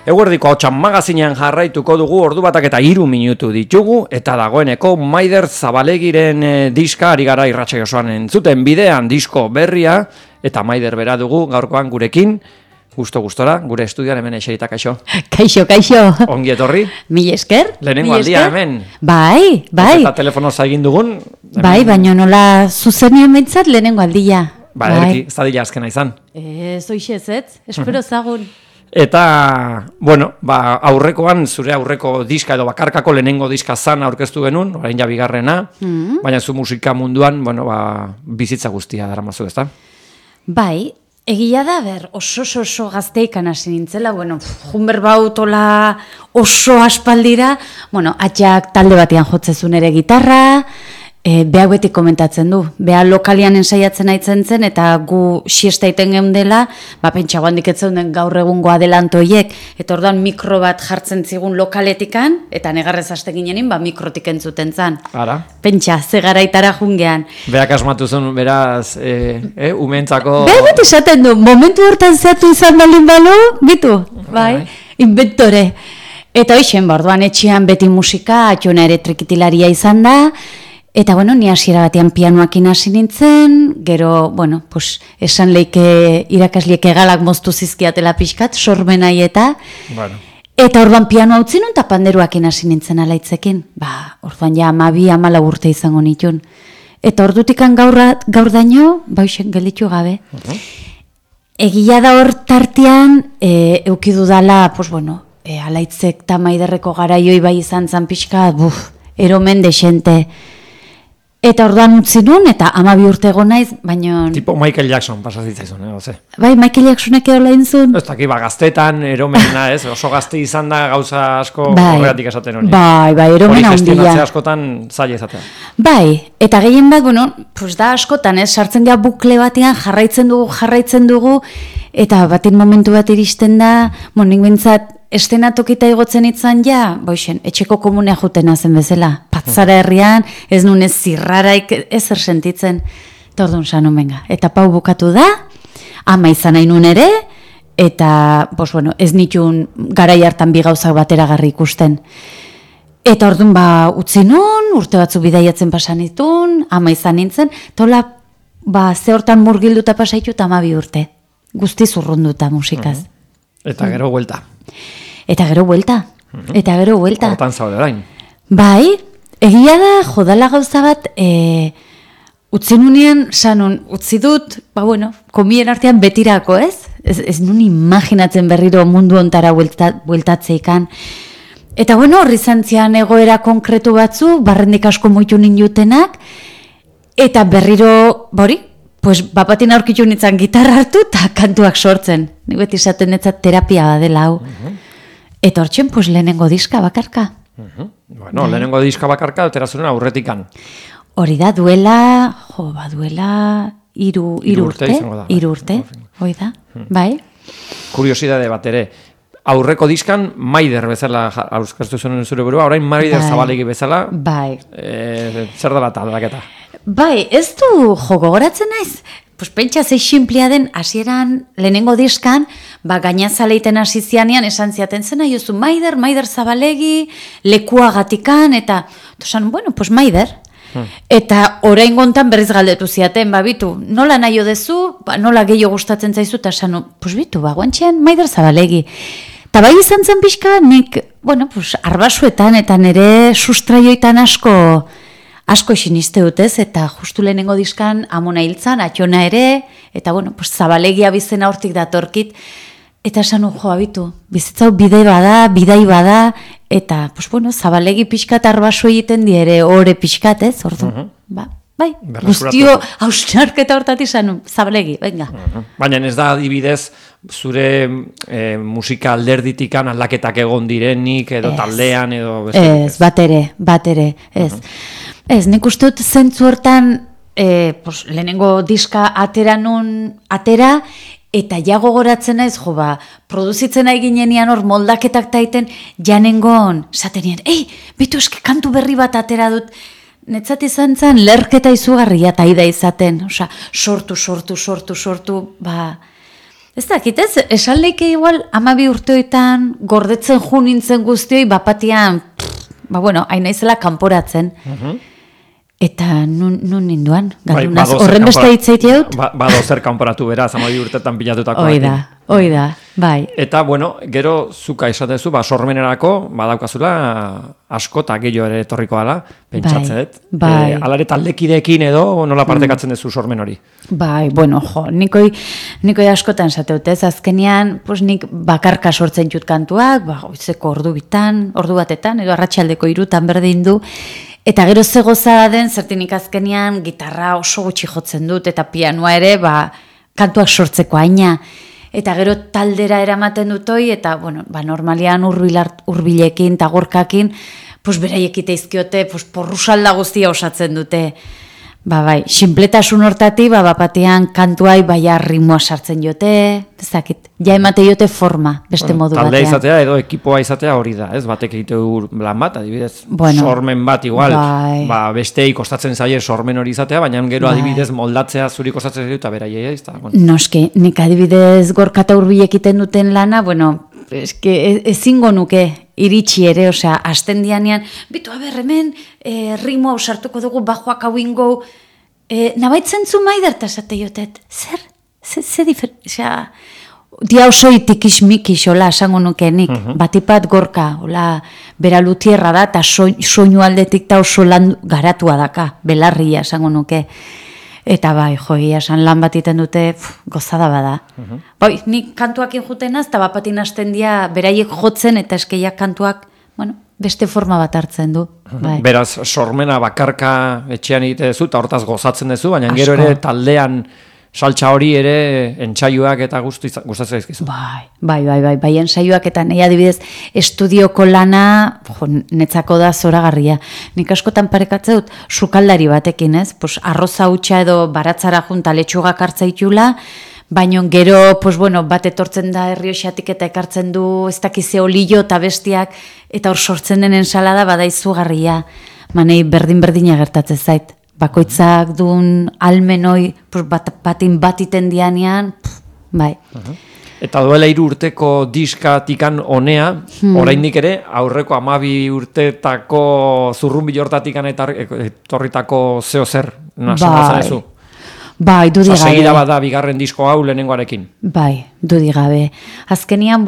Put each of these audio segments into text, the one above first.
Eguerdiko Ahotsa magazinean jarraituko dugu, ordu batak eta 3 minutu ditugu, eta dagoeneko Maider Zabalegiren diska ari gara irratsaio osoan entzuten bidean disko berria, eta Maider bera dugu gaurkoan gurekin, gustora, gure estudioan hemen eserita, kaixo. Kaixo. Ongi etorri. Mil esker. Lehenengo aldia hemen. Bai. Eta telefonoz egin dugun. Bai, baina nola zuzenien behintzat lehenengo aldia. Bai, ez dadila azkena izan. Zoixez, espero zagun. Eta, bueno, aurrekoan, zure aurreko diska edo bakarkako lehenengo diska zan aurkeztu genuen, orain ja bigarrena, baina zu musika munduan, bueno, bizitza guztia daramazu, ezta? Bai, egia da, oso gazteikan hasi nintzela, bueno, junber bautola oso aspaldira, bueno, atxak talde batean jotzezun ere gitarra, behak beti komentatzen du, beha lokalian ensaiatzen aitzen zen, eta gu siesta iten geundela, pentsa guandik etzen den gaur egungo adelantoiek, eta orduan mikro bat jartzen zigun lokaletikan, eta negarrez haste ginenin, mikrotik entzuten zan. Ara? Pentsa, ze garaitara jungean. Beak asmatu zen, beraz, umentzako... Beha beti esaten du, momentu hortan zeatu izan balin balu, bitu, bai, inventore. Eta hoixen, orduan etxean beti musika, atxona ere trikitilaria izan da, eta, bueno, ni hasiera batean pianoakin hasi nintzen, gero, bueno, esan leike irakasliek egalak moztu zizkiatela pixkat, sormenai eta, eta orduan pianoa utzi nun, eta panderuakin hasi nintzen alaitzekin. Orduan ja 12-14 urte izango nitun. Eta ordutikan gaur daño, bauxen gelditu gabe. Egia da hor tartean, eukidu dala, alaitzek eta Maiderreko garaioi bai izan zan pixkat, eromen desente. Eta orduan utzi nun, eta 12 urte egon naiz, baina... Tipo Michael Jackson pasazitzaizun, oze? Bai, Michael Jacksonek edo lehin zuen. Ez daki, gaztetan, eromena, ez? Oso gazte izan da gauza asko horregatik esaten honi. Bai, eromena handia. Hori gestionatzea askotan zaila izatea. Bai, eta gehien bat, da askotan, sartzen gara bukle batean, jarraitzen dugu, eta baten momentu bat iristen da, nik bintzat, estenatokita igotzen itzan etxeko komunea jutena zen bezala. Patzara herrian, ez nun ez zirraraik ezer sentitzen. Eta orduan sanon benga. Eta pau bukatu da, ama izan nahi nun ere, eta ez nitun garai hartan bi gauzak bateragarri ikusten. Eta orduan utzi nun, urte batzu bidaiatzen pasan itun, ama izan nintzen, tola ze hortan murgilduta pasaitu eta 12 urte. Guzti zurrunduta musikaz. Eta gero buelta. Eta gero buelta. Hortan zaude orain. Bai, egia da, jodala gauza bat, utzi nunien, utzi dut, komien artean betirako, ez? Ez nun imaginatzen berriro mundu ontara bueltatzeikan. Eta horri zantzian egoera konkretu batzu, barrendik asko moitu nindutenak, eta berriro, bapatin aurkitu nintzen gitarra hartu eta kantuak sortzen. Nik beti esaten netzat terapia badela hau. Eta hortxen, lehenengo diska bakarka. Lehenengo diska bakarka, alterazunen aurretikan. Hori da, duela 3 urte. 3 urte, hoi da, bai. Kuriosidade bat ere, aurreko diskan Maider bezala aurkeztu zuen zure burua, orain Maider Zabalegi bezala. Bai. Zer da bat aldaketa? Bai, ez du gogoratzen naiz. Pentsa zei sinplia den hasieran lehenengo diskan, gainazaleiten hasi zianean esan ziaten zena jozu Maider Zabalegi, lekuagatikan, eta esan, Maider. Eta orain gontan berriz galdetu ziaten, bitu, nola nahi odezu, nola gehiago gustatzen zaizu, eta esan, bitu, guantxean Maider Zabalegi. Eta bai izan zen pixka, nik, arbasuetan eta nire sustraioetan asko siniste dutez, eta justu lehenengo diskan amona hiltzan, atxona ere, eta Zabalegia bizena hortik datorkit, eta esan abitu, bizitzau bidai bada, eta Zabalegi pixkat arbasu egiten diere, ore pixkat, ez, ordu, bai, guztio hausnarketa hortat izan, Zabalegi, venga. Baina ez da adibidez, zure musika alderditikan aldaketak egon direnik, edo taldean, edo... Ez, bat ere, ez. Ez, nik uste dut zentzu hortan lehenengo diska atera, eta ja gogoratzen naiz, produzitzen nahi ginenian hor moldaketak taiten, janengon, zatenien, bitu eske kantu berri bat atera dut, netzat izan zen, lerketa izugarria taida izaten, sortu, Ez dakit ez, esan leike igual 12 urteoetan gordetzen ju nintzen guztioi bapatian, hain naizela kanporatzen. Eta nun ninduan, galdunaz, horren beste hitzeit jaut? Bado zer kanporatu beraz, 12 urtetan pilatutako. Hoi da, bai. Eta, gero zuka esatezu, sormenerako, badaukazula asko eta gehiago ere etorriko ala, pentsatzen dut. Bai. Alare taldekideekin edo nola partekatzen duzu sormen hori? Bai, nikoi askotan zateut ez, azkenean, nik bakarka sortzen jut kantuak, goizeko ordu batetan, edo arratsaldeko 3 berdin du, eta gero ze goza den, zertinik azkenean gitarra oso gutxi jotzen dut, eta pianoa ere, kantuak sortzeko aina. Eta gero taldera eramaten dutoi, eta, normalian hurbilekin eta gorkakin, beraiek iteizkiote, porrusalda guztia osatzen dute. Bai, sinpletasun hortati, bapatean kantuai rimua sartzen jote, ezakit, ja emate jote forma, beste modu batean. Taldea izatea edo ekipoa izatea hori da, ez? Batek egiteu lan bat, adibidez, sormen bat igual, besteei kostatzen zaie sormen hori izatea, baina gero adibidez moldatzea zuri kostatzen zaie eta beraiei, ez da? Noski, nik adibidez gorka eta hurbil egiten duten lana, ezingo nuke iritsi ere, hasten dianean, bitu hemen, ritmo sartuko dugu, bajoak hau ingo, nabaitzen zu Maider, eta esate jotet, zer dia oso itikis-mikis, esango nuke nik, batipat gorka, bera lutierra da, eta soinu aldetik eta oso lan garatua daka, belarria, esango nuke. Eta esan lan bat iten dute, gozada bada. Nik kantuakin jutenaz, eta bapatin hasten dia, beraiek jotzen, eta eskeiak kantuak, beste forma bat hartzen du. Beraz, sormena bakarka etxean egite duzu, eta hortaz gozatzen duzu, baina gero ere taldean saltza hori ere entsaioak eta gustatzen zaizkizu. Bai, entsaioak eta nahi adibidez estudioko lana netzako da zoragarria. Nik askotan parekatzen dut sukaldari batekin, ez? Arroza hutsa edo baratzara junta letxugak hartzaitula, baina gero, bat etortzen da Errioxatik eta ekartzen du ez dakize olio eta bestiak, eta hor sortzen den ensalada bada izugarria. Manei berdin-berdina gertatzen zait. Bakoitzak duen almenoi batin batiten dianean, bai. Eta duela 3 urteko diskatikan honea, oraindik ere, aurreko 12 urtetako zurrunbil hortatikan etorritako zeo zer, nasen ezu? Bai, dudigabe. Segida bada bigarren disko hau lehenengoarekin. Bai, dudigabe. Azkenian,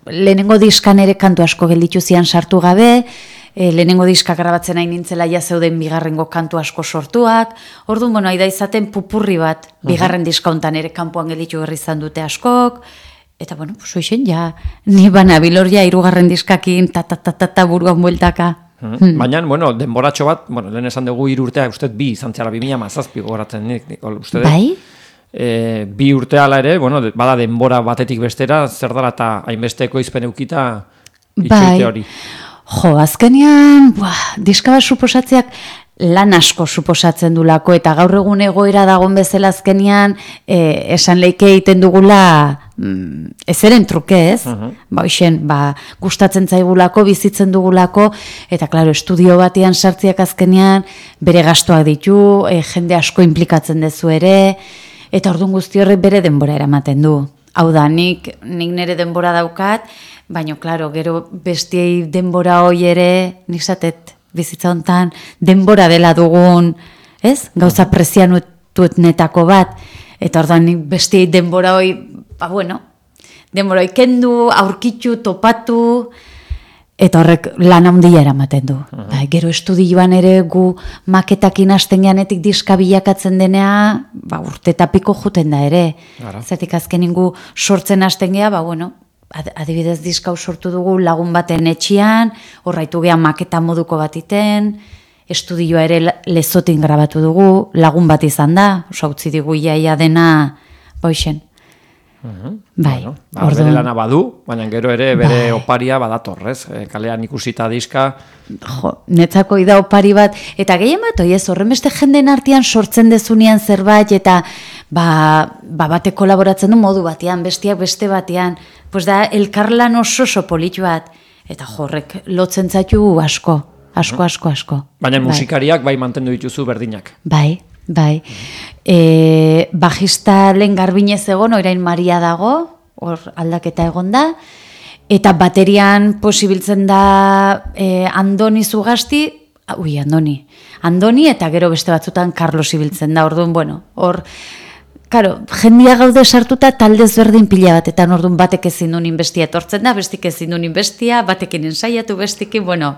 lehenengo diskan ere kantu asko gelditu zian sartu gabe, lehenengo diska grabatzen hain nintzela ja zeuden bigarrengo kantu asko sortuak, orduan, aida izaten pupurri bat, bigarren diska hontan ere kanpoan gelditu berri izan dute askok, eta, soixen, ni banabil hor 3. diskakin, buruan bueltaka. Baina, denboratxo bat, lehen esan dugu 3 urtea, uste 2 izan zela 2017 goratzen nik, uste dut. Bai? 2 urte ala ere, bada denbora batetik bestera, zer dara eta hainbesteko izpen eukita itxoite hori. Azkenean, diska bat suposatzeak lan asko suposatzen dulako, eta gaur egun egoera dagoen bezala azkenean, esan leike egiten dugula, ezeren truke ez, gustatzen zaigulako, bizitzen dugulako, eta klaro, estudio batean sartziak azkenean, bere gastuak ditu, jende asko implikatzen dezu ere, eta orduan guzti horrek bere denbora eramaten du. Hau da, nik nire denbora daukat, baina, klaro, gero bestiei denbora hoi ere, nik zatet bizitza hontan, denbora dela dugun, ez? Gauza prezianututnetako bat, eta orduan nik bestiei denbora hoi, denbora hoi kendu, aurkitu, topatu, eta horrek lan handia eramaten du. Gero estudioan ere gu maketakin hasten geanetik diska bilakatzen denea, urte eta piko juten da ere. Zertik azkenin gu sortzen hasten gea, adibidez diskau sortu dugu lagun baten etxian, horraitu gehan maketa moduko bat iten, estudioa ere Lezotin grabatu dugu, lagun bat izan da, utzi digu iaia dena, boixen. Bai, bere lana badu, baina gero ere bere oparia badatorrez, kalean ikusita diska. Netzako ida opari bat, eta gehien bat, horren beste jenden artean sortzen dezunean zerbait, eta bate kolaboratzen du modu batean, bestiak beste batean, da elkarlan oso politu bat, eta horrek lotzen zaitu asko. Baina musikariak bai mantendu dituzu berdinak. Bai, Bai. Bajista lehen Garbinez egon, orain Maria dago, hor aldaketa egon da, eta baterian posibiltzen da Andoni Zugasti, Andoni eta gero beste batzutan Carlos ibiltzen da, orduan, bueno, hor, karo, jendia gaude sartuta talde ezberdin pila bat, eta orduan batek ezin duen inbestia etortzen da, bestik ezin duen inbestia, batekin ensaiatu, bestikin, bueno,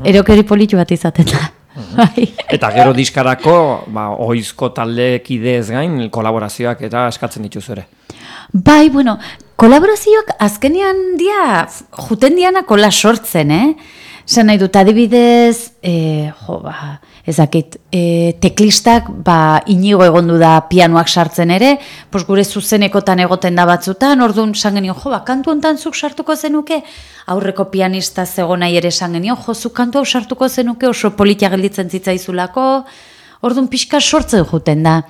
erokeri politu bat izaten da. Eta gero diskarako, oizko taldekidez gain, kolaborazioak eta eskatzen dituzu ere. Bai, bueno, kolaborazioak azkenean juten diana kola sortzen, Zer nahi dut, adibidez, ezakit, teklistak, inigo egondu da pianoak sartzen ere, gure zuzenekotan egoten da batzutan, orduan esan genion, kantu hontan zuk sartuko zenuke, aurreko pianista zegoen nahi ere esan genion, zuk kantu hau sartuko zenuke, oso politia gelditzen zitzaizulako, orduan pixka sortzen juten da.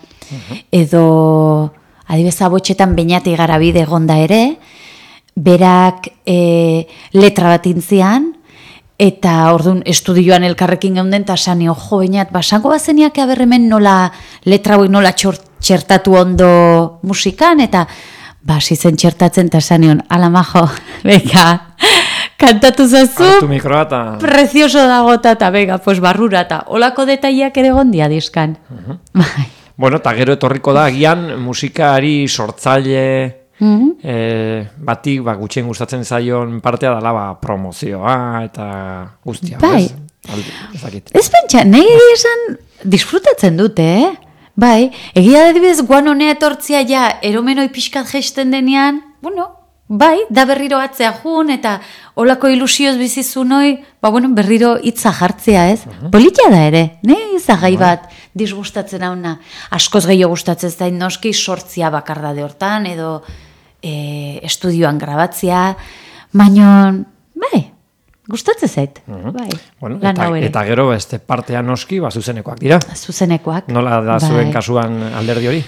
Edo, adibidez, abotxetan Beñati Garabide egonda ere, berak letra bat intzian, eta orduan estudioan elkarrekin geunden, eta sanio, Beñat, basango bazeniak aberremen nola letra hauek nola txertatu ondo musikan, eta zizen txertatzen, eta sanion, ala majo, beka, kantatu zazu, hartu mikroa eta... Prezioso dagota, eta bega, barrura, eta olako detaileak ere gondia diskan. Bueno, eta gero etorriko da, agian musikari sortzaile... batik gutxien gustatzen zaion partea dela promozioa eta guztia. Bai. Ez pentsa, nahi esan disfrutatzen dute, Bai, egia adibidez guan honea etortzia eromenoi pixkat gesten denean, bai, da berriro atzea jun eta olako ilusioz bizizunoi, berriro hitza jartzea, ez? Politia da ere, izagai bat disgustatzen hauna. Askoz gehiago gustatzen zain noski sortzia bakardade hortan, edo estudioan grabatzea, baina, bai, gustatzen zait. Bueno, eta gero beste partea noski, zuzenekoak dira. Zuzenekoak. Nola da zuen kasuan alderdi hori?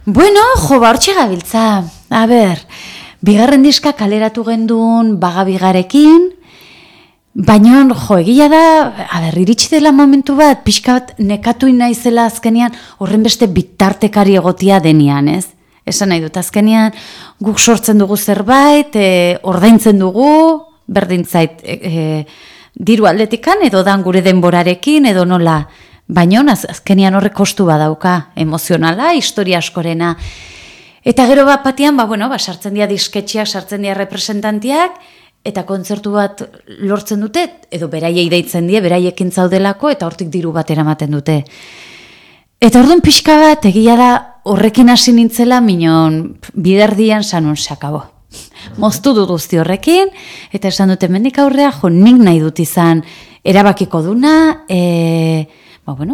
Bueno, hortxe gabiltza. A ber, bigarren diska kaleratu gendun Bagabigarekin, baina, egia da, iritsi dela momentu bat, pixka bat nekatu naizela azkenean, horren beste bitartekari egotia denean, ez? Esan nahi dut, azkenean guk sortzen dugu zerbait, ordaintzen dugu, berdintzait diru aldetikan, edo dan gure denborarekin, edo nola. Baina azkenean horrek kostu badauka, emozionala, historia askorena. Eta gero bat batean, sartzen dira disketxeak, sartzen dira representantiak, eta kontzertu bat lortzen dute, edo beraiei deitzen die, beraiekin zaudelako, eta hortik diru bat eramaten dute. Eta orduan pixka bat, egia da, horrekin hasi nintzela, minon biderdian sanun sakabo. Moztu dut guzti horrekin, eta esan dute mendik aurrea, nik nahi dut izan erabakiko duna,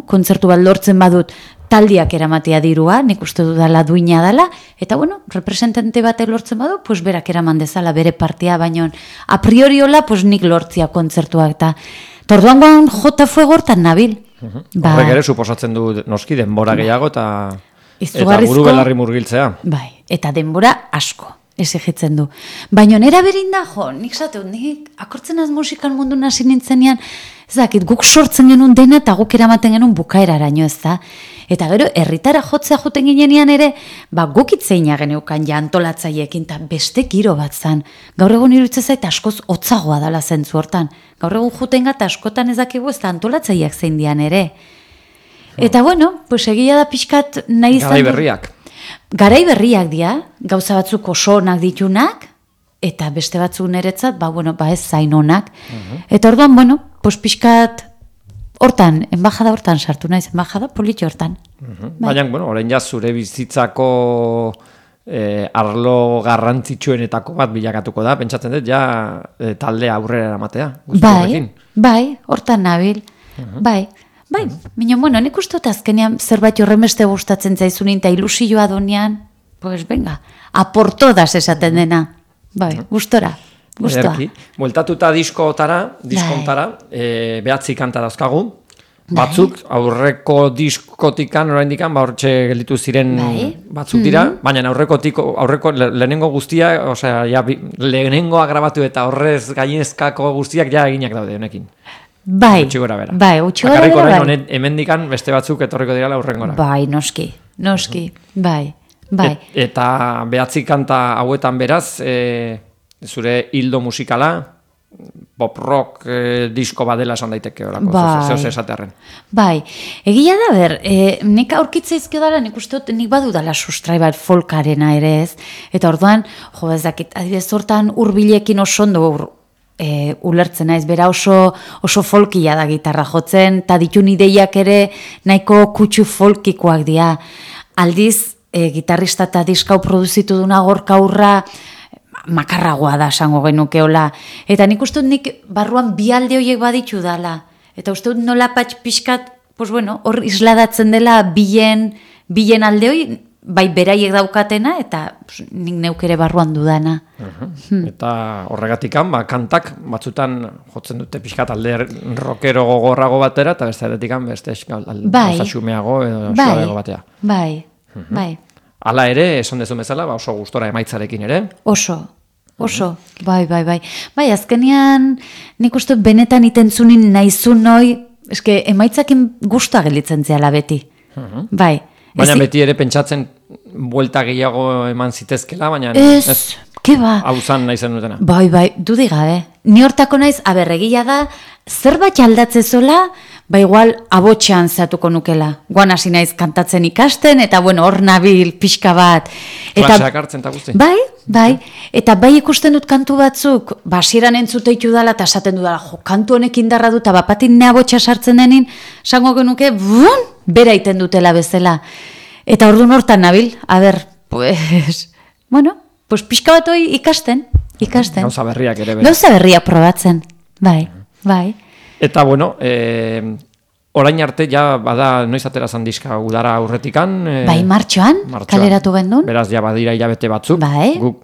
kontzertu bat lortzen badut taldiak eramatea dirua, nik uste dudala duina dela, eta representante bat lortzen badu, berak eraman dezala bere partia, baino a priori hola, nik lortzia kontzertuak, eta torduan guan jota fuego hortan nabil. Horrek ere suposatzen du noski denbora gehiago eta buru belarri murgiltzea. Bai, eta denbora asko exigitzen du. Baina nera berin da, nik zateu, nik akortzen az musikan mundu nasi nintzenean, guk sortzen genuen dena eta guk eramaten genuen bukaeraraino, ez da? Eta gero, herritara jotzea joten ginean ere, guk itzeina geneukan antolatzaiekin, eta beste giro bat zan. Gaur egun iruditzen zait askoz hotzagoa dala zentzu hortan. Gaur egun joten gata askotan ez dakigu ez da antolatzaileak zein dian ere. Eta egia da pixkat nahi izan... Garai berriak. Garai berriak dira, gauza batzuk oso onak ditunak, eta beste batzuk niretzat, ez zain onak. Eta orduan, pixkat hortan, enbajada hortan sartu naiz, enbajada politxo hortan. Baina, orain zure bizitzako arlo garrantzitsuenetako bat bilakatuko da, pentsatzen dut, talde aurrera eramatea. Bai, hortan nabil, bai, baina, nik uste dut azkenean zerbait horremeste gustatzen zaizunin eta ilusioa donean, venga, aportodas esaten dena, bai, gustora. Bueltatuta diskontara, behatzi kanta dauzkagu, batzuk aurreko diskotikan, oraindikan, hortxe gelditu ziren batzuk dira, baina aurreko lehenengo guztia, lehenengoa grabatu eta horrez gainezkako guztiak eginak daude honekin. Bai, gutxi gora bera. Bai, gutxi gora Bakarrik bera, orain bai. honen hemendikan beste batzuk etorriko direla urrengora. Bai, noski, bai. Eta behatzi kanta hauetan beraz, zure hildo musikala, pop rock disko badela esan daiteke orako, zeo esatearren. Bai, egia da ber, nik aurkitza izkiodara, nik uste dut, nik badudala sustrai bat folkarena ere ez, eta orduan, jo ez dakit, adibidez hortan hurbilekin oso ondo ulertzen naiz, bera oso folkia da gitarra jotzen, eta ditun ideiak ere nahiko kutsu folkikoak dira. Aldiz, gitarrista eta diskau produzitu duna Gorka Urra makarragoa da esango genukeola. Eta nik uste dut nik barruan bi alde horiek baditu dala. Eta uste dut nola pixkat, pues bueno, hor isladatzen dela bilen alde hori, bai beraiek daukatena, eta nik neukere barruan dudana. Eta horregatikan, kantak batzutan jotzen dute pixkat alde rockero gogorrago batera, eta beste aldeetikan beste xumeago edo suabego batea. Bai. Hala ere, esan dezu bezala, oso gustora emaitzarekin ere. Oso. Bai. Bai, azkenean nik uste benetan itentzunin naizun noi, eske emaitzakin gustua gelditzen zehala beti. Bai. Baina beti ere pentsatzen buelta gehiago eman zitezkela, baina ez, keba. Hau zan nahi zen dutena. Bai, dudik gabe. Ni hortako naiz, egia da, zerbait aldatzezola, igual abotxean zehatuko nukela. Guan hasi naiz kantatzen ikasten, eta bueno, hor nabil pixka bat. Klaseak hartzen eta guzti. Bai. Eta bai ikusten dut kantu batzuk, hasieran entzuteitu dala, eta esaten dudala, kantu honek indarra dut, eta bapatin ne abotxa sartzen denin, sango genuke, bera iten dutela bezala. Eta orduan hortan nabil, pues pixka bat hoi ikasten. Gauza berriak ere bera. Gauza berriak probatzen, bai. Eta bueno, orain arte ja bada noiz atera zan diska udara aurretikan. Bai, martxoan, kaleratu gendun. Beraz, ja badira hilabete batzuk. Bai. Guk,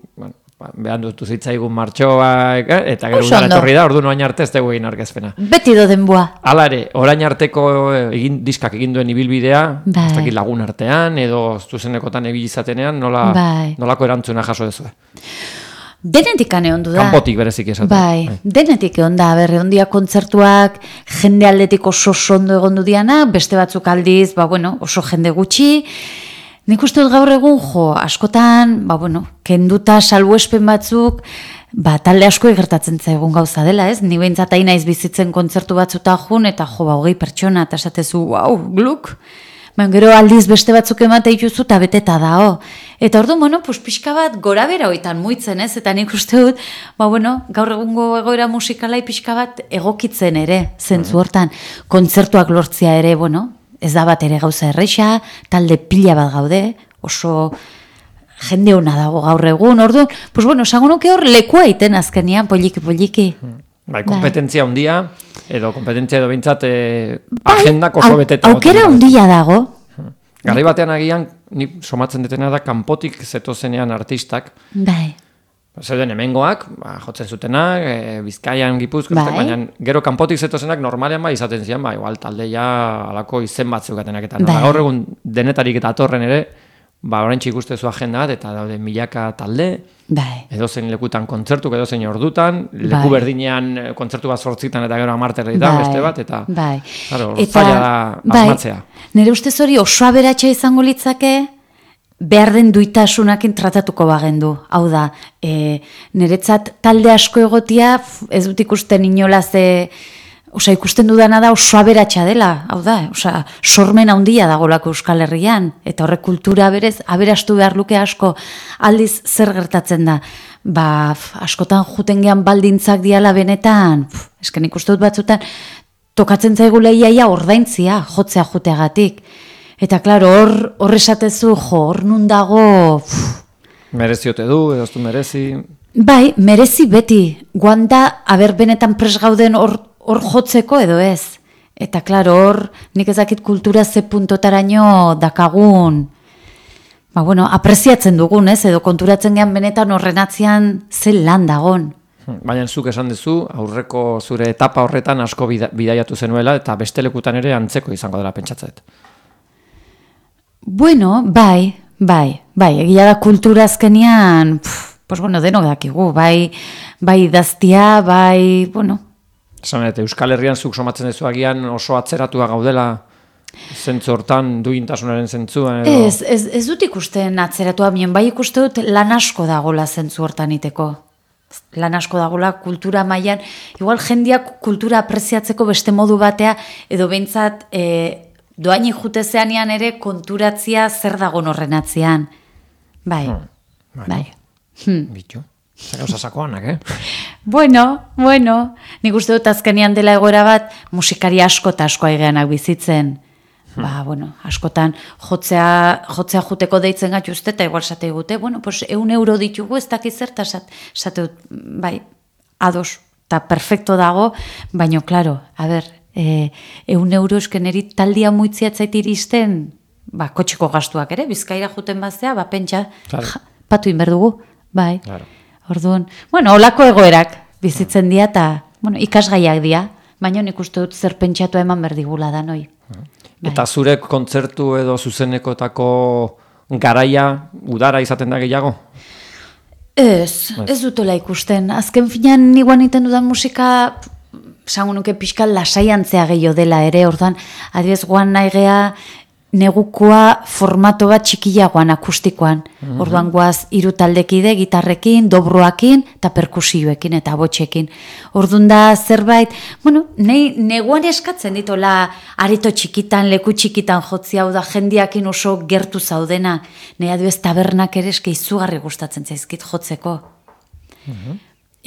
behan dutu zitzaigun martxoa, eta gero udara etorri da, orduan orain arte ez dugu egin arkezpena. Beti doden bua. Hala ere, orain arteko diskak egin duen ibilbidea, ez dakit lagun artean, edo zuzenekotan ebilizatenean, nolako erantzuna jaso dezue? Denetik egon du da. Kanpotik berezik esaten. Bai, denetik egon da, ondia kontzertuak jende aldetik oso ondo egon du diana, beste batzuk aldiz, oso jende gutxi. Nik uste dut gaur egun, askotan, kenduta salbuespen batzuk, talde asko egertatzen zaigun gauza dela, ez? Ni behintzat hain naiz bizitzen kontzertu batzuta jun, eta 20 pertsona, eta esatezu, gluk. Gero aldiz beste batzuk emate ituzu eta beteta da, Eta orduan, pixka bat gora bera hoitan muitzen, ez? Eta nik uste dut, gaur egungo egoera musikalai pixka bat egokitzen ere, zentzu hortan. Kontzertuak lortzia ere, ez da bat ere gauza erreixa, talde pila bat gaude, oso jende hona dago gaur egun, orduan, esango nuke hor lekua iten azkenean, poliki. Bai, kompetentzia handia, edo kompetentzia edo bintzat agendak oso beteta. Aukera handia dago. Garai batean agian, ni somatzen detena da, kanpotik zetozenean artistak. Bai. Zeuden hemengoak, jotzen zutenak, Bizkaian, Gipuzkoan, baina gero kanpotik zetozenak normalean izaten zian, igual taldeia alako izen batzukatenak eta gaur egun denetarik eta atorren ere, orain ikustezu agenda bat, eta daude milaka talde, edozein lekutan kontzertuk, edozein ordutan, leku berdinean kontzertu bat 8 eta gero 10 herritan beste bat, eta zaila da asmatzea. Nire ustez hori oso aberatsa izango litzake, behar den duitasunakin tratatuko bagendu. Hau da, niretzat talde asko egotia, ez dut ikusten inolaz, ikusten dudana da oso aberatsa dela, hau da, sormen handia dagolako Euskal Herrian, eta horrek kultura berez, aberastu behar luke asko, aldiz zer gertatzen da, askotan juten gehan baldintzak diala benetan, esken ikusten dut batzutan, tokatzen zaigu lehiaia ordaintzia, jotzea juteagatik, eta klaro, hor esatezu, hor nun dago... Mereziote du, edo du merezi... Bai, merezi beti, guanda, benetan pres gauden hor jotzeko edo ez. Eta klaro, hor, nik ezakit kultura ze puntotaraino dakagun, apreziatzen dugun, ez, edo konturatzen gehan benetan horren atzian ze lan dagon. Baina zuk esan duzu, aurreko zure etapa horretan asko bidaiatu zenuela, eta beste lekutan ere antzeko izango dela pentsatzet. Bai, egia da kultura azkenian, denok dakigu, bai idaztia, Euskal Herrian zuk somatzen duzu agian oso atzeratua gaudela zentzu hortan, duintasunaren zentzua edo... Ez dut ikusten atzeratua, bai ikuste dut lan asko dagola zentzu hortan iteko. Lan asko dagola kultura mailan, igual jendeak kultura apreziatzeko beste modu batea, edo behintzat doainik jutezeanean ere konturatzia zer dago horren atzean. Bai. Bitu. Zer gauza sakoanak, Bueno, nik uste dut azkenean dela egoera bat musikari asko eta asko aigeanak bizitzen. Askotan jotzea juteko deitzen gaitu uste, eta igual sate gute, 1 euro ditugu ez dakiz zerta, sate dut, bai, ados, eta perfecto dago, baina, klaro, 1 euro esken eri taldia muitziatzait iristen, kotxeko gastuak ere, Bizkaira juten baztea, pentsa, patu inberdugu, bai, orduan, olako egoerak bizitzen dira, eta, ikasgaiak dira, baina nik uste dut zer pentsatu eman berdigula da, noi. Eta zure kontzertu edo zuzenekotako garaia udara izaten da gehiago? Ez dutola ikusten. Azken finean niguan iten dudan musika, esango nuke pixka lasaiantzea gehiago dela ere, ordan, adibez guan nahi gea negukoa formato bat txikiagoan akustikoan. Orduan guaz 3 taldekide, gitarrekin, dobroakin, eta perkusioekin, eta botxekin. Orduan da zerbait, neguan eskatzen ditola areto txikitan, leku txikitan jotzi hau da, jendiakin oso gertu zaudena. Nei adibez tabernak ere eske izugarri gustatzen zaizkit jotzeko.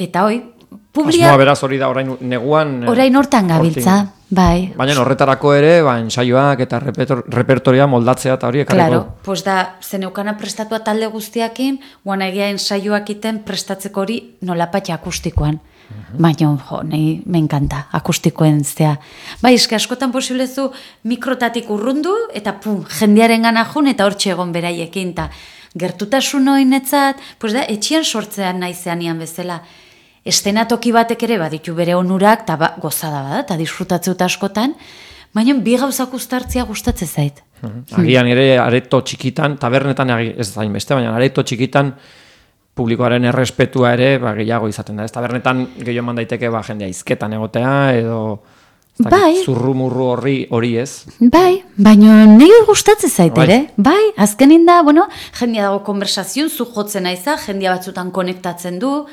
Eta hoi, Asmoa beraz hori da orain neguan... Orain hortan gabiltza, bai. Baina horretarako ere, ensaioak eta repertoria moldatzea eta hori ekarriko. Claro, pues da, zeneukana prestatua talde guztiakin, guan egia ensaioak iten prestatzeko hori nolapatxa akustikoan. Baina, nahi, me encanta, akustikoen zea. Bai, eske askotan posiblezu mikrotatik urrundu, eta jendearen gana jun, eta hortxe egon beraiekin, eta gertutasun hoinetzat, pues da, etxian sortzean naizean ian bezala. Estenatoki batek ere baditu bere onurak, eta gozada bada, eta disfrutatzeu askotan, baina bi gauzak uztartzea gustatzen zait. Agian ere areto txikitan, tabernetan ez zain beste, baina areto txikitan publikoaren errespetua ere gehiago izaten da. Ez tabernetan gehiago eman daiteke jendea izketan egotea, edo zurrumurru hori ez. Bai, baina nire gustatzen zait ere. Bai, azkenin da, jendea dago konversazion, zu jotzen aiza, jendea batzutan konektatzen du,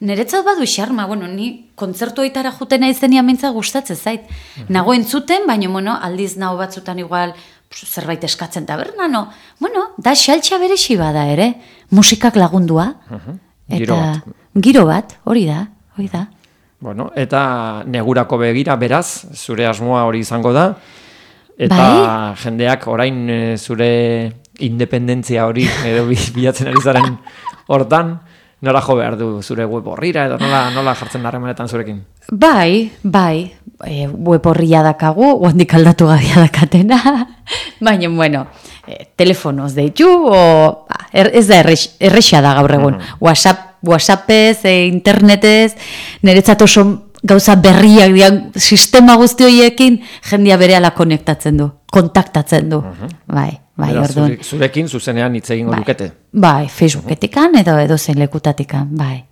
niretzat badu xarma, ni kontzertu oitara juten aizenean mintza gustatzen zait. Nago entzuten, baina, aldiz nago batzutan igual zerbait eskatzen taberna, da xaltxa berexi bada ere, musikak lagundua. Giro bat, hori da. Eta negurako begira, beraz, zure asmoa hori izango da, eta jendeak orain zure independentzia hori edo bilatzen ari zaren hortan, nola jo behar du zure web horrira edo nola jartzen harremanetan zurekin? Bai, web horria dakagu, guandik aldatu gabia dakatena, baina, telefonoz deitu, ez da errexea da gaur egun, WhatsAppez, internetez, niretzat oso gauza berriak dian, sistema guzti horiekin, jendia berehala konektatzen du, kontaktatzen du, bai, orduan. Zurekin zuzenean hitz egingo dukete? Bai, Facebooketikan edo zein lekutatikan, bai.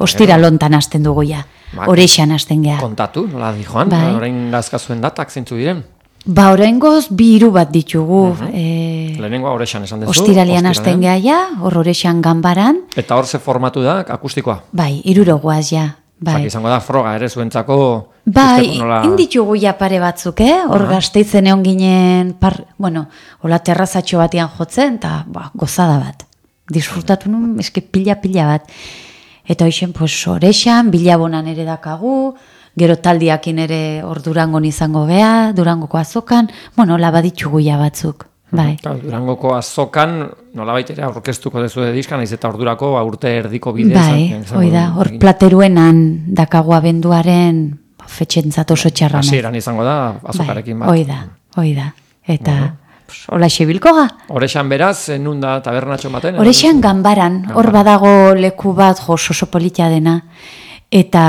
Ostira lontan hasten dugu ja, horeixan hasten geha. Kontatu, nola di joan, orain dazkazuen datak zeintzu diren? Orain goz, 2 bat ditugu. Lehenengoa horeixan esan dezu? Ostiralian hasten geha ja, horeixan ganbaran. Eta hor ze formatu da, akustikoa? Bai, 3 goaz ja. Zaki izango da froga ere zuentzako... Bai, inditugu ja pare batzuk, hor Gasteizen egon ginen, hola terrazatxo batian jotzen, eta gozada bat. Disfrutatu nun, eske pila bat. Eta hoxen, horexan, bilabonan ere dakagu, gero taldiakin ere hor Durangon izango geha, Durangoko azokan, hola baditugu ja batzuk. Bai. Durangoko azokan, nolabait ere aurkeztuko dezu diskan, naiz eta ordurako urte erdiko bidez. Bai, hor plateruenan dakago abenduaren fetxentzat oso txarra. Hasieran izango da, azokarekin bat. Hoi da. Eta hola xebilko ga. Horexan beraz, nun da tabernatxo baten? Horexan ganbaran, hor badago leku bat oso politia dena, eta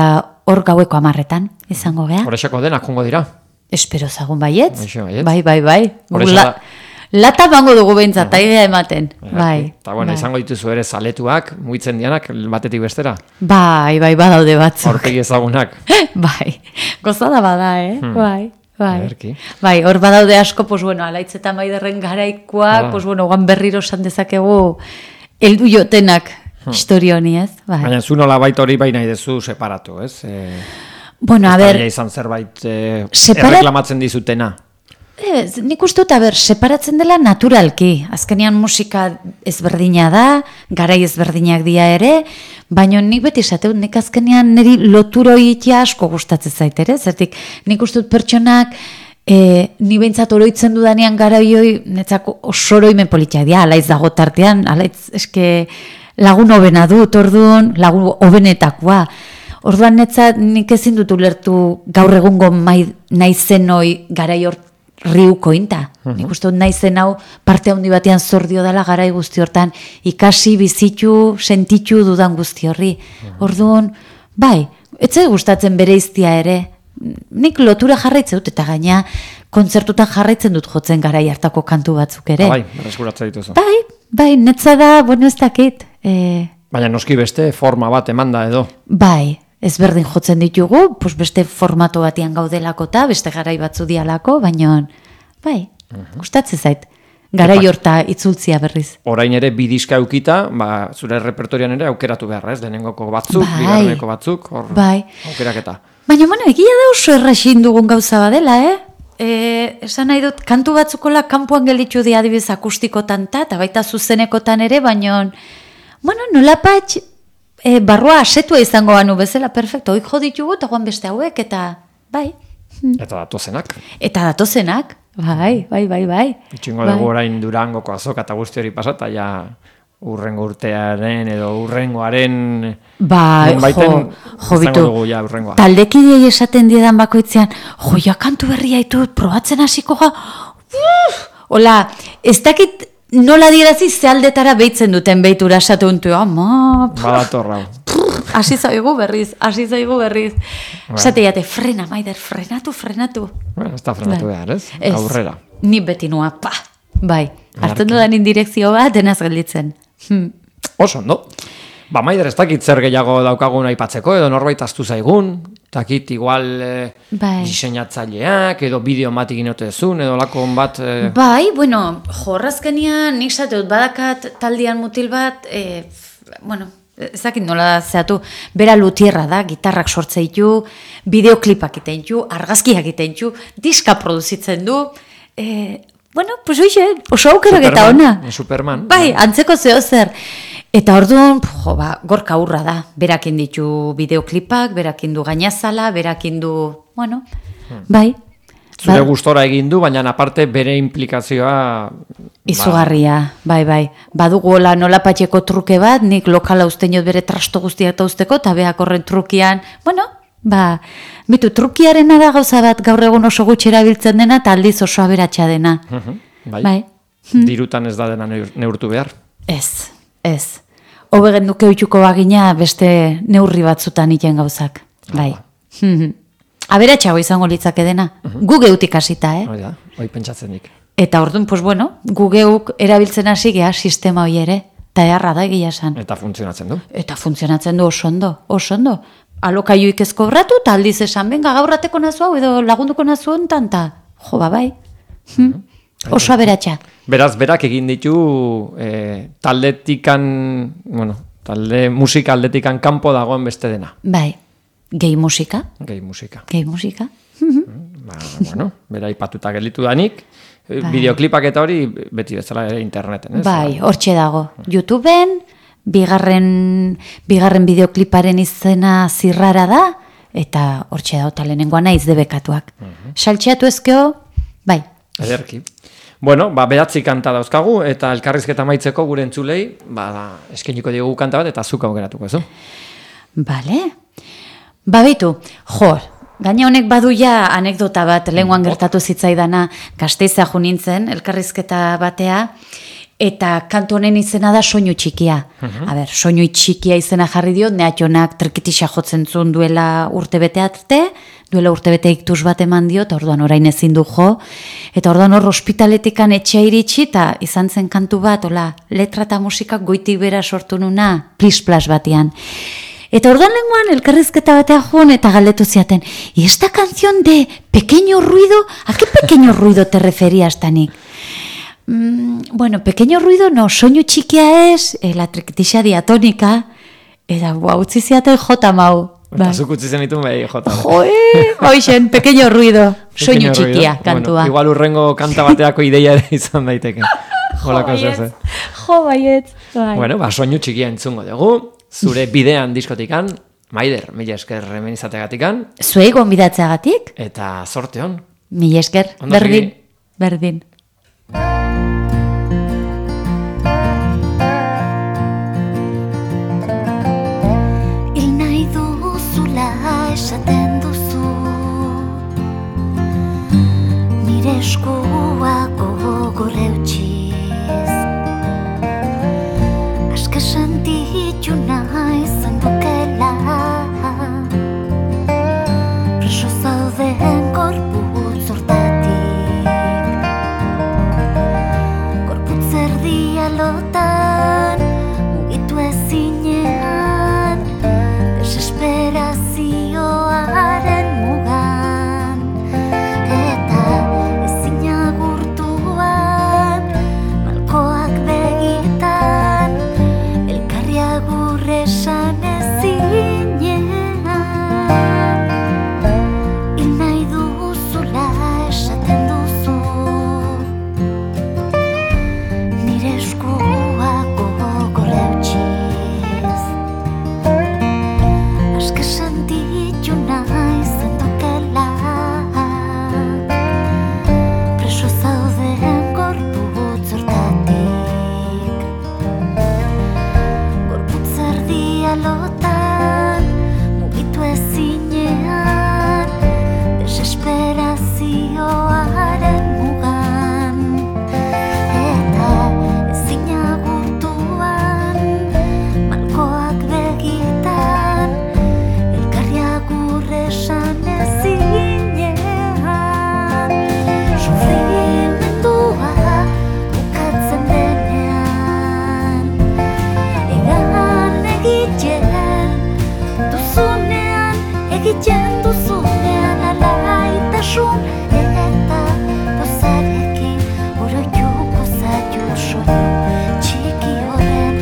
hor gaueko 10etan izango geha. Horexako denak jongo dira? Espero zagun baietz. Bai. Bai. Lata bango dugu behintzat, taigea ematen. Bai. Eta bueno, izango dituzu ere zaletuak, mugitzen dianak, batetik bestera. Bai, badaude batzuk. Hortegi ezagunak. Bai, gozada bada, Bai. Ederki. Bai, hor badaude asko, pues bueno, Alaitz eta Maiderren garaikoak, pues bueno, guan berriro esan dezakegu heldu jotenak historio honi, ez? Bai. Baina zu nola baita hori bai nahi dezu separatu, ez? Bueno, a ber... izan zerbait erreklamatzen dizutena. Ez, nik uste dut, separatzen dela naturalki. Azkenean musika ezberdina da, garai ezberdinak dira ere, baina nik beti esateut, nik azkenean niri loturo itea asko gustatzen zait ere, zertik nik uste dut pertsonak, ni behintzat oroitzen dudanean garaioi, netzako osoroimen politia dira, Alaitz dago tartean, Alaitz eske lagun hobena dut, orduan lagun hobenetakoa. Orduan netzat nik ezin dut ulertu gaur egungo naizen hoi garai riuko inta. Nik uste dut naizen hau parte handi batean zordio dela garai guzti hortan, ikasi, bizitu, sentitu dudan guzti horri. Orduan, bai, etzai gustatzen bereiztia ere. Nik lotura jarraitzen dut eta gaina kontzertutan jarraitzen dut jotzen garai hartako kantu batzuk ere. Bai, berreskuratzen dituzu. Bai, netza da, bueno ez dakit. Baina noski beste forma bat emanda edo. Bai, ezberdin jotzen ditugu, pues beste formato batean gaudelako eta beste garai batzu dialako, baina, bai, gustatzen zait. Garai horta itzultzia berriz. Orain ere bi diska eukita, zure repertorian ere aukeratu beharra, ez? Lehenengoko batzuk, bigarreneko batzuk, hor aukeraketa. Baina, bueno, egia da oso erraxin dugun gauza badela, Esan nahi dut, kantu batzukola kanpoan gelditu di adibidez akustikotan eta baita zuzenekotan ere, baina, bueno, nolapatx, barrua asetua izango banu bezala, perfecto, hoi jo ditugu, eta guan beste hauek, eta bai. Eta datozenak. Bai. Itxingo dugu orain Durangoko azoka eta guzti hori pasata, ja urrengo urtearen edo urrengoaren... Bai, jo bitu, taldekidei esaten diedan bakoitzean, ja kantu berria ditut, probatzen hasiko ga, hola, ez dakit nola dirazi zealdetara behitzen duten behitura esatu untu, ama... Badatorra. Hasi zaigu berriz. Esate jate, frena, Maider, frenatu. Ez da frenatu behar, ez? Aurrera. Ni beti nua, bai. Hartzen dudan indirekzio bat, denaz gelditzen. Oso, ondo. Maider, ez dakit zer gehiago daukagun aipatzeko, edo norbait aztu zaigun, takit igual diseinatzaileak, edo bideo bat egin otezun, edo lakon bat... Bai, bueno, jorrazkenian, nik zateut badakat taldean mutil bat, bueno, ezakit nola zehatu, bera lutierra da, gitarrak sortzeitu, bideoklipak itentu, argazkiak itentu, diska produzitzen du, bueno, pues oixe, oso aukerak eta ona. Superman. Bai, antzeko zeo zer. Eta orduan, gorka hurra da, berakin ditu bideoklipak, berakin du gainazala, berakin du, bueno, bai. Zure gustora egin du, baina aparte bere implikazioa... Izugarria, bai. Badugu nola patxeko truke bat, nik lokala ustenot bere trasto guztiak eta usteko, eta beak horren trukian, bueno, bitu, trukiaren da gauza bat gaur egun oso gutxi erabiltzen dena, eta aldiz oso aberatsa dena. Bai. Dirutan ez da dena neurtu behar? Ez. Hobegen duke oituko bagina beste neurri batzutan iten gauzak, bai. Aberatxago izango litzake dena. Gu geutik hasita, Hoi pentsatzen dik. Eta orduan, pues bueno, gu geuk erabiltzen hasi gea sistema hori ere, eta eharra da egia esan. Eta funtzionatzen du. Oso ondo. Alokaiuik ez kobratu, eta aldiz esan, benga, gaurrateko nazu hau, edo lagunduko nazu hontan, eta jo, bai. Oso aberatxa. Beraz, berak egin ditu taldetikan, bueno, musika aldetikan kanpo dagoen beste dena. Bai. Gehi musika. Bueno, bera ipatuta gelditu danik, bideoklipak eta hori beti bezala ere interneten, ez? Bai, hortxe dago. YouTubeen, bigarren bideokliparen izena zirrara da, eta hortxe dago talenengoa naiz debekatuak. Saltxeatu ezkeo, bai. Ederki. Bueno, 9 kanta dauzkagu, eta elkarrizketa maitzeko gure entzulei, eskeniko diogu kanta bat, eta zuka aukeratuko, ez? Bale. Baitu, gaina honek badu ja anekdota bat, lehenguan gertatu zitzaidana, Gasteiza jo nintzen, elkarrizketa batea, Eta kantu honen izena da Soinu txikia. Soinu txikia izena jarri dio, Neatxonak trikitisa jotzen zuen duela urtebete arte, duela urtebete iktus bat eman dio, eta orduan orain ezin du jo. Eta orduan hor ospitaletikan etxea iritsi, eta izan zen kantu bat, letra eta musika goitik bera sortu nuna, plis-plas batean. Eta orduan lenguan elkarrizketa batea joan eta galdetu ziaten, ¿y esta canción de pequeño ruido? ¿A qué pequeño ruido te referías, Tanik? Bueno, pequeño ruido no, soinu txikia ez, la trikitisa diatónica, eta utzi ziaten jota mau. Eta zuk utzi zenitun behi jota. Hoixen, pequeño ruido, soinu txikia kantua. Bueno, igual urrengo kanta bateako ideia ere izan daiteke. Jo baiet. Bueno, soinu txikia entzungo dugu, zure bidean diskotikan, Maider, mila esker hemen izategatikan. Zuei gonbidatzeagatik. Eta zorte hon. Mila esker, berdin. Esaten duzu nire eskuak gogor eutxiz aske sentitu nahi zendukela preso zauden gorputz hortatik gorputz erdia lotan mugitu ezinean desesperazioaren mugan eta ezin agurtuan malkoak begitan elkarri agur esan ezinean hil nahi duzula esaten duzu nire eskuak gogor eutxiz aske sentitu nahi zendukela preso zauden gorputz hortatik gorputz erdia lotan mugitu ezinean desesperazioaren mugan eta ezin agurtuan malkoak begitan elkarri agur esan ezinean sufrimendua bukatzen denean egan egiten duzunean alaitasun eta dozarekin oroituko zaitu soinu txiki horren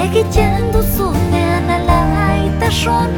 egiten duzunean alaitasun